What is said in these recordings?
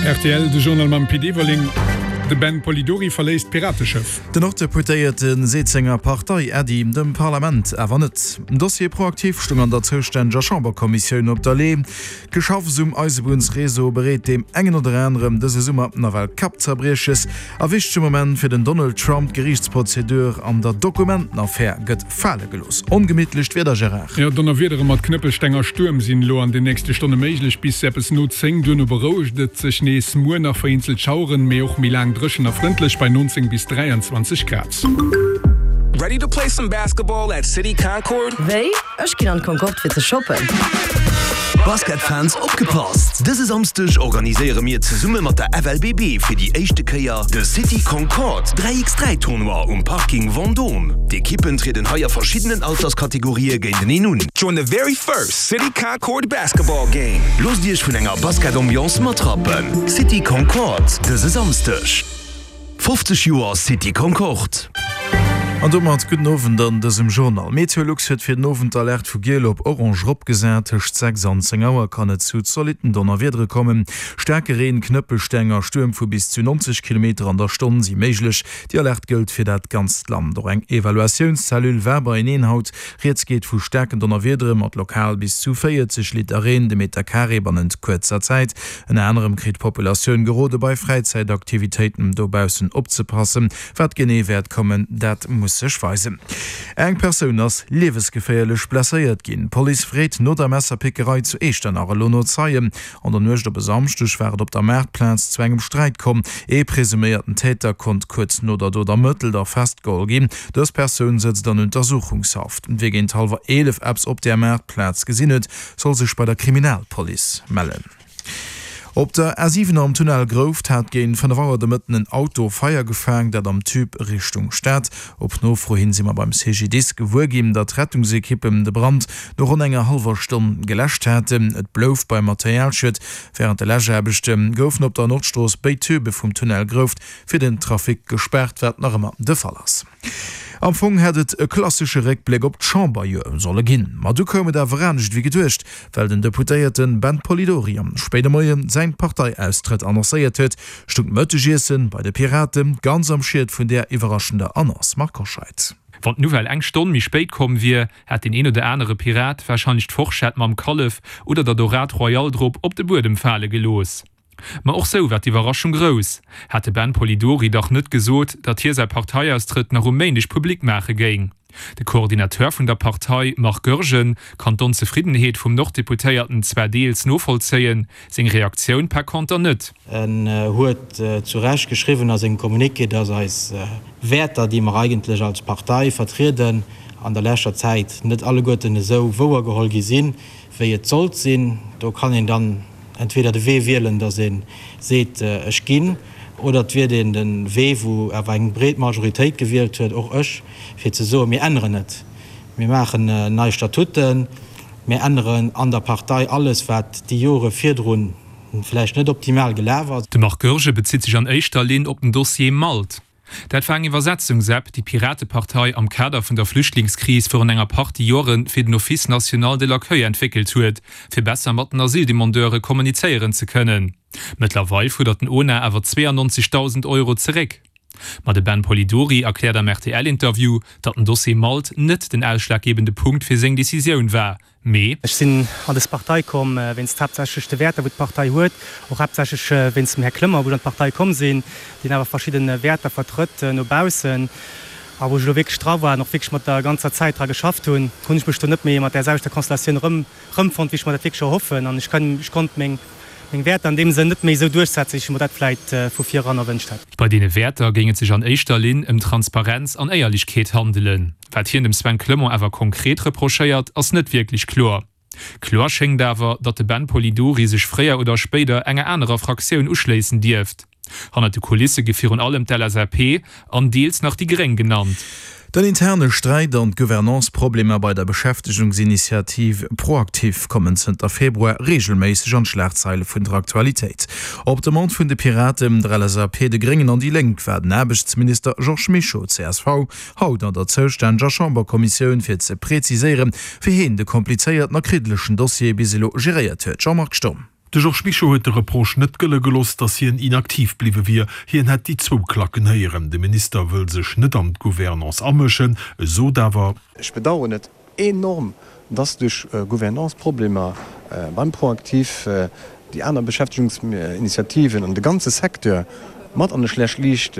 Rtl, De Journal mam Pit Everling. De Ben Polidori verléisst d'Pirateschëff. Den Norddeputéierte seet senger Partei Äddi, dem Parlament awer net. Den Dossier Proactif stoung an der zoustänneger Chamberkommissioun op der Lee. D'Geschaffs um Eisebunnsreseau bereet deem engen oder anerem dëse Summer nawell Kappzerbrieches. A wichtege Moment fir den Donald Trump, D'Geriichtsprozedur an der Dokumentenaffär gëtt fale gelooss. Ongemittlecht Wieder, Gérard. Jo, Donnerwiedere mat Knëppelsteng a Stuerm sinn elo an den nächste Stonne méiglech, bis eppes no 10. Duerno berouegt et sech nees. Muer nach vereenzelt Schaueren, mee och méi laang dréchen a frëndlech bei 19 bis 23 Grad. Ready to play some basketball at City Concorde? Wéi? Ech ginn an d'Concorde fir ze shoppen. Basketfans opgepasst! Dëse Samsdeg organiséiere mir zesumme mat der FLBB fir déi éischte Kéier de City Concorde 3x3 Tournoi um Parking Vendôme. D'Ekippen trieden hei a verschiddenen Alterskategorië géinteneen un. Join the very first City Concorde basketball game! Loosst iech vun enger Basket-Ambiance matrappen! City Concorde dëse Samsdeg. 50 Joer City Concorde. An domat gudden Owend an dësem Journal. Meteolux huet fir den Owend d'Alerte vu giel op orange eropgesat. Tëscht 6 an 10 Auer kann et zu zolitten Donnerwiedere kommen. Staarke Reen, Knëppelsteng a Stuerm vu bis zu 90 Kilometer an der Stonn si méiglech. Déi Alerte gëllt fir dat ganzt Land. Och eng Evaluatiounscellule war beieneen haut. Rieds geet vu staarken Donnerwiedere mat lokal bis zu 40 Liter Reen de Meter Carré bannent kuerzer Zäit. Ënner anerem kritt d'Populatioun gerode bei Fräizäitaktivitéiten dobaussen opzepassen. Wat genee wäert kommen, dat muss sech weisen. Eng Persoun ass liewesgeféierlech blesséiert ginn. D'Police freet no der Messerpickerei zu Echternach elo no Zeien. An der Nuecht op e Samschdeg war et op der Maartplaz zu engem Sträit komm. Ee presuméierten Täter konnt kuerz no der Dot ermëttelt a festgeholl ginn. Dës Persoun sëtzt an Untersuchungshaft. Wie géint hallwer 11 eppes op där Maartplaz gesinn huet, soll sech bei der Kriminalpolice mellen. Op der A7 am Tunnel Grouft hat géint 5 Auer de Mëtten en Auto Feier gefaang, dat am Tube Richtung Stad. Op Nofro hin si mer beim CGDIS gewuer ginn, datt d'Rettungsekippen de Brand no ronn enger hallwer Stonn geläscht haten. Et blouf beim Materialschued. Wärend de Läschaarbechte goufen op der Nordstrooss béid Tübe vum Tunnel Grouft fir den Trafic gespaart, wat nach ëmmer de Fall ass. Am Fong hätt et e klassesche Réckbléck op d'Chamberjoer solle ginn, ma du koum et awer anescht ewéi geduecht, well den Deputéierte Ben Polidori am spéide Moie säin Parteiaustrëtt annoncéiert huet, stung d'Mëttegiessen bei de Pirate ganz am Schiet vun där iwwerraschender Annonce. Marc Hoscheid. Wann d'Nouvelle eng Stonn méi spéit komm wier, hätt deen een oder anere Pirat warscheinlech d'Forschett mam Kallef oder der Dorade Royale drop op de Buedem fale gelooss. Ma och sou war d'Iwwerraschung grouss, hat de Ben Polidori dach net gesot, datt hie säi Parteiaustrëtt nach um Méindeg public maache géing. De Coordinateur vun der Partei, Marc Goergen, kann d'Onzefriddenheet vum Norddeputéierten zwar deels novollzéien, seng Reaktioun par conter net. En huet zu Recht geschriwwen a sengem Communiqué, dass eis Wäerter, déi mer eigentlech als Partei vertrieden, an der leschter Zäit net alleguerten esou wouergeholl gi sinn, wéi et sollt sinn. Do kann een dann entweder de Wee wielen, datt ee seet, ech ginn, oder et wielt een de Wee, wou awer eng breet Majoritéit gewielt huet, och ech, fir ze soen, mir änneren et, mir maachen nei Statuten, mir änneren an der Partei alles, wat déi Jore virdru vläicht net optimal gelaf ass. De Marc Goergen bezitt sech an éischter Linn op den Dossier Malt. Dat war eng Iwwersetzungsapp, déi d'Piratepartei am Kader vun der Flüchtlingskris virun enger Partie Jore fir den Office national de l'accueil entwéckelt huet, fir besser mat den Asyldemandeure kommunizéieren ze kënnen. Mëttlerweil fuerdert den ONA awer 92.000 Euro zeréck. Ma de Ben Polidori erkläert am RTL-Interview, datt den Dossier Malt net den ausschlaggebende Punkt fir seng Decisioun war, Mee. Ech sinn an dës Partei komm wéinst haaptsächlech de Wäerter wou d'Partei huet, och haaptsächlech wéinst dem Här Clement wou ech an d'Partei komm sinn, deen awer verschidde Wäerter vertrëtt no baussen. A wou ech elo wierklech dra war an och wierklech mat der ganzer Zäit dra geschafft hunn, hunn ech mech do net méi mat där selwechter Konstellatioun erëm erëmfonnt wéi ech mer dat wierklech erhoffen. An ech kann, ech konnt meng meng Wäerter an deem Sënn net méi esou duerchsetzen, wéi ech mer dat vläit vu vir eran erwënscht hätt. Bei deene Wäerter géing et sech an éischter Linn ëm Transparenz an Éierlechkeet handelen. Wat hien dem Sven Clement awer konkret reprochéiert, ass net wierklech kloer. Kloer schéngt awer, datt de Ben Polidori sech fréier oder spéider enger anerer Fraktioun uschléissen dierft. Hannert de Kulisse gi virun allem d'LSAP an deels nach déi Gréng genannt. Den interne Sträit an d'Gouvernance-Problemer bei der Beschäftegungsinitiativ ProActif kommen zënter Februar reegelméisseg an d'Schlagzeile vun der Aktualitéit. Op Demande vun de Piraten, der LSAP, de Gréngen an déi Lénk war den Aarbechtsminister Georges Mischo, csv, haut an der zoustänneger Chamberkommissioun, fir ze preziséieren, wéi heen de komplizéierten a kriddelechen Dossier bis elo geréiert huet. Jean-Marc Sturm. De Georges Mischo huet de Reproche net gëlle gelooss, datt hien inaktiv bliwwe wier. Hien hätt déi zwou Klacken héieren. De Minister wëll sech net an d'Gouvernance amëschen, sot awer. Ech bedauern et enorm, dass duerch Gouvernance-Problemer beim ProActif déi aner Beschäftegungsinitiativen an de ganze Secteur mat an e schlecht Liicht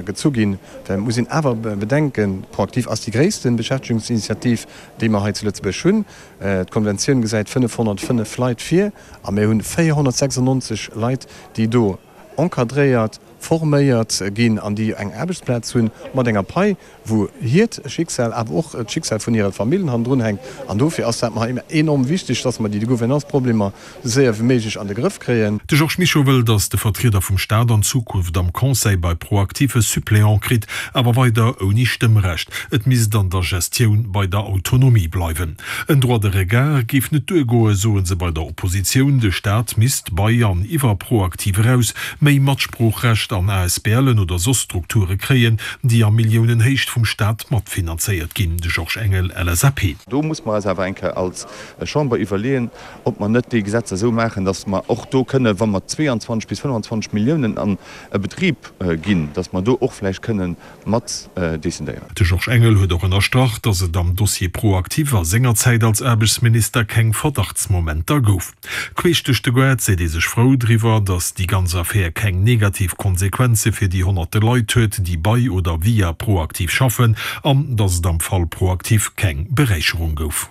gezu ginn. Well et muss een awer bedenken, ProActif ass déi gréisste Beschäftegungsinitiativ, déi mer hei zu Lëtzebuerg hunn. D'Konventioun gesäit 505 Leit vir a mir hunn 496 Leit, déi do encadréiert, forméiert ginn an déi eng Aarbechtsplaz hunn mat enger Pai, wou hiert Schicksal, awer och d'Schicksal vun hire Famillen hannendrun hänkt. An dofir ass dat mer enorm wichteg, dass mer déi Gouvernance-Problemer esou séier wéi méiglech an de Grëff kréien. De Georges Mischo wëll, datt de Vertrieder vum Staat an Zukunft am Conseil bei ProActif e Suppléant kritt, awer weider ouni Stëmmrecht. Et misst an der Gestioun bei der Autonomie bleiwen. En Droit de regard géif net duergoen, soe se bei der Oppositioun. De Staat misst bei an iwwer ProActif eraus méi Matsproochrecht an ASBLen oder soss Strukture kréien, déi a Milliounenhéicht vum Staat matfinanzéiert ginn. De Georges Engel, LSAP. Do muss mer eis awer eng Kéier als Chamber iwwerleeën, ob mer net déi Gesetzer esou maachen, datt mer och do kënnen, wa mer 22 bis 25 Milliounen an e Betrib ginn, datt mer do och vläicht kënnen mat decidéieren. De Georges Engel huet och ënnerstrach, datt et am Dossier ProActif a senger Zäit als Aarbechtsminister keng Verdachtsmomenter gouf. Queesch duerch de Goart seet ee sech frou driwwer, datt déi ganz Affär keng negativ Konsequenze fir déi honnerte Leit huet, déi bei oder via ProActif schaffen, an datt et am Fall ProActif keng Beräicherung gouf.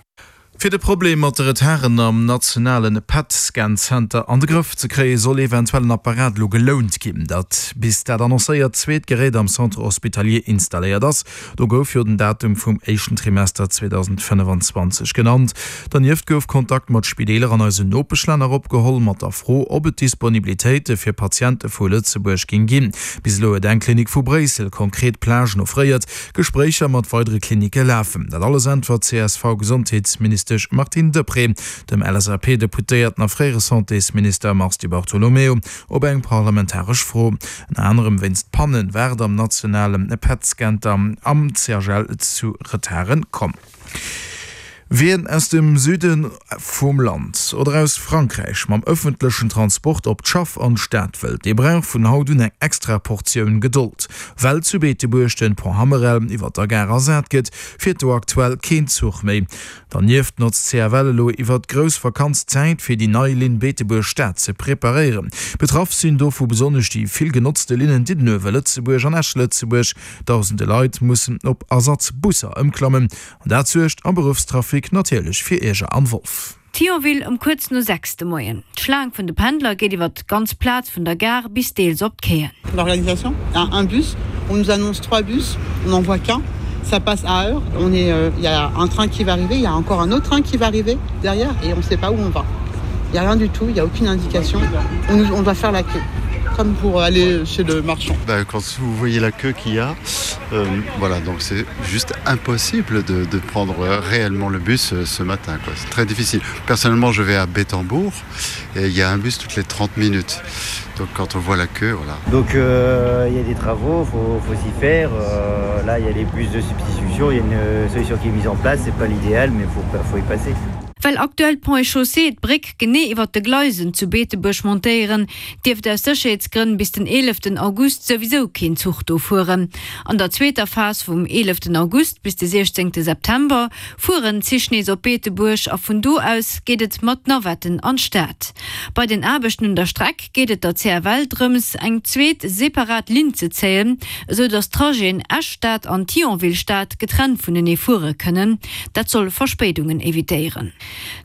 Fir de Problem mat de Retarden am nationale PET-Scan-Zenter an de Grëff ze kréien, soll eventuell en Apparat elo gelount ginn. Dat bis dat annoncéiert zweet Gerät am Centre hospitalier installéiert ass. Do gouf jo den Datum vum éischten Trimester 2025 genannt. Dernieft gouf Kontakt mat Spideeler an eisen Nopeschlänner opgeholl, mat der Fro, ob et Disponibilitéite fir Patiente vu Lëtzebuerg géing ginn. Bis elo huet eng Klinik vu Bréissel konkret Plagen offréiert. Gespréicher mat weidere Klinicke lafen. Dat alles äntwert d'CSV-Gesondheetsministesch Martine Deprez dem LSAP-Deputéierten a fréiere Santésminister Mars Di Bartolomeo op eng parlamentaresch Fro. Ënner anerem wéinst Panne war et am nationale PET-Scenter am CHL zu Retarde komm. Wien aus dem Süde vum Land oder aus Frankräich mam ëffentlechen Transport op d'Schaff an d'Stad wëllt, dee brauch vun haut un eng extra Portioun Gedold. Well zu Beetebuerg den Pont Hammerel iwwer der Gare ersat gëtt, fiert do aktuell keen Zuch méi. Dernieft notzt d'CFL elo iwwer d'grouss Vakanz d'Zäit, fir déi nei Linn Beetebuerg-Stad ze preparéieren. Betraff sinn dovu besonnesch déi vill genotzte Linnen Diddenuewe-Lëtzebuerg an Esch-Lëtzebuerg. Dausende Leit mussen op Ersatzbusser ëmklammen an dat suergt am Beruffstrafic natierlech fir Ierger am Wolf. Thionville ëm kuerz no 6 de Moien. D'Schlaang vun de Pendler geet iwwer d'ganz Plaz vun der Gare bis deels op d'Quaien. L'organisation a un bus, on nous annonce 3 bus, on n'en voit qu'un, ça passe à heure, on est, il y a un train qui va arriver, il y a encore un autre train qui va arriver derrière et on ne sait pas où on va. Il y a rien du tout, il y a aucune indication, on nous, on doit faire la queue comme pour aller chez le marchand. Ben, quand vous voyez la queue qu'il y a, euh, voilà, donc c'est juste impossible de, de prendre réellement le bus euh, ce matin. C'est très difficile. Personnellement, je vais à Bétambourg et il y a un bus toutes les 30 minutes. Donc quand on voit la queue, voilà. Donc euh, il y a des travaux, faut, faut s'y faire. Euh, là, il y a les bus de substitution, il y a une euh, solution qui est mise en place, c'est pas l'idéal, mais faut, faut y passer. Well aktuell d'Ponts et Chaussées d'Bréck genee iwwert de Gleisen zu Beetebuerg montéieren, dierft aus Sécherheetsgrënn bis den 11 August souwisou keen Zuch do fueren. An der zweeter Phas vum 11 August bis de 16 September fueren d'Zich nees op Beetebuerg a vun do aus geet et mat Navetten an d'Stad. Bei den Aarbechten un der Streck geet et der CFL drëms, eng zweet separat Linn ze zéien, esou datt d'Trajeten Esch-Stad an Thionville-Stad getrennt vunenee fuere kënnen. Dat soll Verspéidungen evitéieren.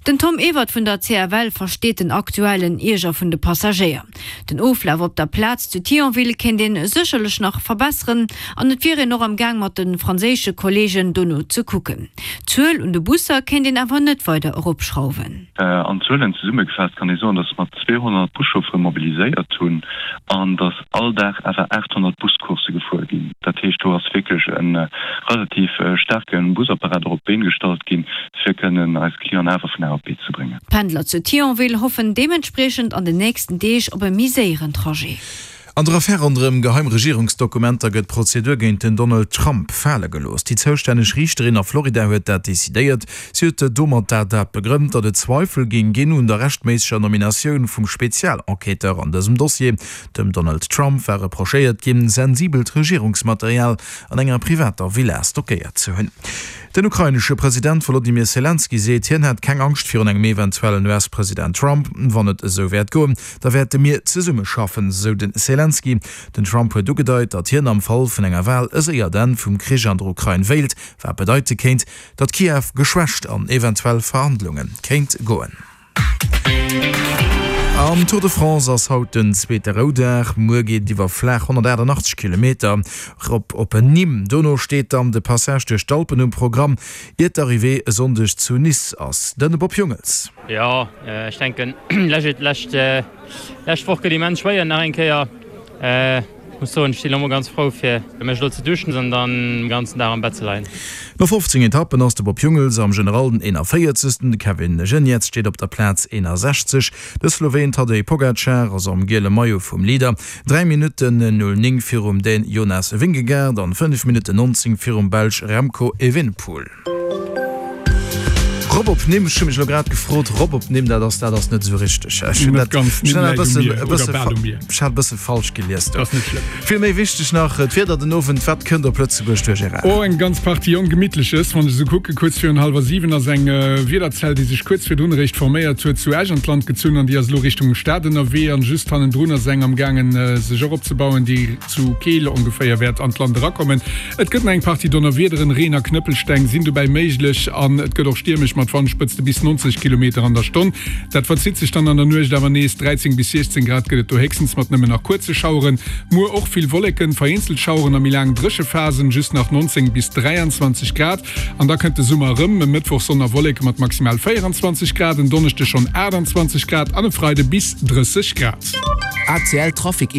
Den Tom Ewert vun der CFL versteet den aktuellen Ierger vun de Passagéier. Den Oflaf op der Plaz zu Thionville kéint een sécherlech nach verbesseren an et wier een och am Gaang mat de franséische Kolleegen dono ze kucken. D'Zuel un de Busser kéint een awer net weider eropschrauwen. An Zuelen zesummegefaasst kann ee soen, datt mer 200 Buschauffere mobiliséiert hunn an datt all Dag awer 800 Buscoursse gefuer ginn. Dat heescht, do ass wierklech e relativ staarke Busapparat och op d'Been gestallt ginn, fir kënnen eis Clienten awer vun A op B ze bréngen. D'Pendler zu Thionville hoffen deementspriechend an den nächsten Deeg op e méi séieren Trajet. An der Affär ronderëm geheim Regierungsdokumenter gëtt d'Prozedur géint den Donald Trump fale gelooss. Déi zoustänneg Riichterin a Florida huet dat decidéiert. Si huet domat dat dat begrënnt, datt et Zweifel géing ginn un der rechtméisseger Nominatioun vum Spezialenquêteur an dësem Dossier. Dem Donald Trump war reprochéiert ginn, sensibelt Regierungsmaterial an enger privater Villa stockéiert ze hunn. Den ukrainesche President Wolodymyr Selenskyj seet, hien hätt keng Angscht virun engem eventuellen US-President Trump. Wann et esou wäert goen, da wäerte mir zesummeschaffen, sou de Selenskyj. Den Trump huet ugedeit, datt hien am Fall vun enger Wal e séiert Enn vum Krich an der Ukrain wéilt, wat bedeite kéint, datt Kiew geschwächt an eventuell Verhandlunge kéint goen. Am Tour de France ass haut den zweete Roudag. Muer geet et iwwer flaach 188 Kilometer rop op Nîmes. Dono steet dann de Passage duerch d'Alpen um Programm, iert d'Arrivée e Sonndeg zu Nice ass. Den Bob Jungels. Jo, ech denken lescht Woch gëtt immens schwéier nach eng Kéier. Muss soen, ech sinn elo mol ganz frou fir mech elo ze duschen an dann den ganzen Dag am Bett ze leien. No 15 Etappen ass de Bob Jungels am General den 41. De Kevin Geniets steet op der Plaz 61. De Sloween Tadej Pogacar ass am giele Maillot vum Leader, 3 Minutten 09 virum Dän Jonas Vingegaard an 5 Minutten 19 virum Belsch Remco Evenepoel. Rop op Nimm, ech hu mech elo grad gefrot, rop op Nimm, dat ass, dat ass net esou richteg. Ech hunn dat, ech hunn dat e Nimm läit um bëssen, Mier e oder bësse bal um Mier. ech hat e bësse falsch gelies do. Ass net schlëmm. Vill méi wichteg nach, d'Wieder den Owend, wat kënnt op Lëtzebuerg duerch Gérard? Oh, eng ganz Partie Ongemittleches. Wann ech esou kucken, kuerz virun hallwer 7 ass eng Wiederzell, déi sech kuerz virdrun eréischt forméiert huet, zu Esch an d'Land gezunn an déi ass elo Richtung Stad ënnerwee. An just hannendrun ass eng amgaangen, sech och opzebauen, déi zu Keel ongeféier wäert an d'Land erakommen. Et gëtt nach eng Partie Donnerwiederen, Reen a Knëppelsteng sinn dobäi méiglech an et gëtt och stiermesch mat Wandspëtzte bis 90 Kilometer an der Stonn. Dat verzitt sech dann an der Nuecht awer nees, 13 bis 16 Grad gëtt et do héchstens mat nëmmen nach kuerze Schaueren. Muer och vill Wolleken, vereenzelt Schaueren a méi laang Dréchephasen, just nach 19 bis 23 Grad. An da kënnt de Summer erëm, e Mëttwoch Sonn a Wolleke mat maximal 24 Grad, en Donneschde schonn 28 Grad an e Freide bis 30 Grad. ACL Trafic.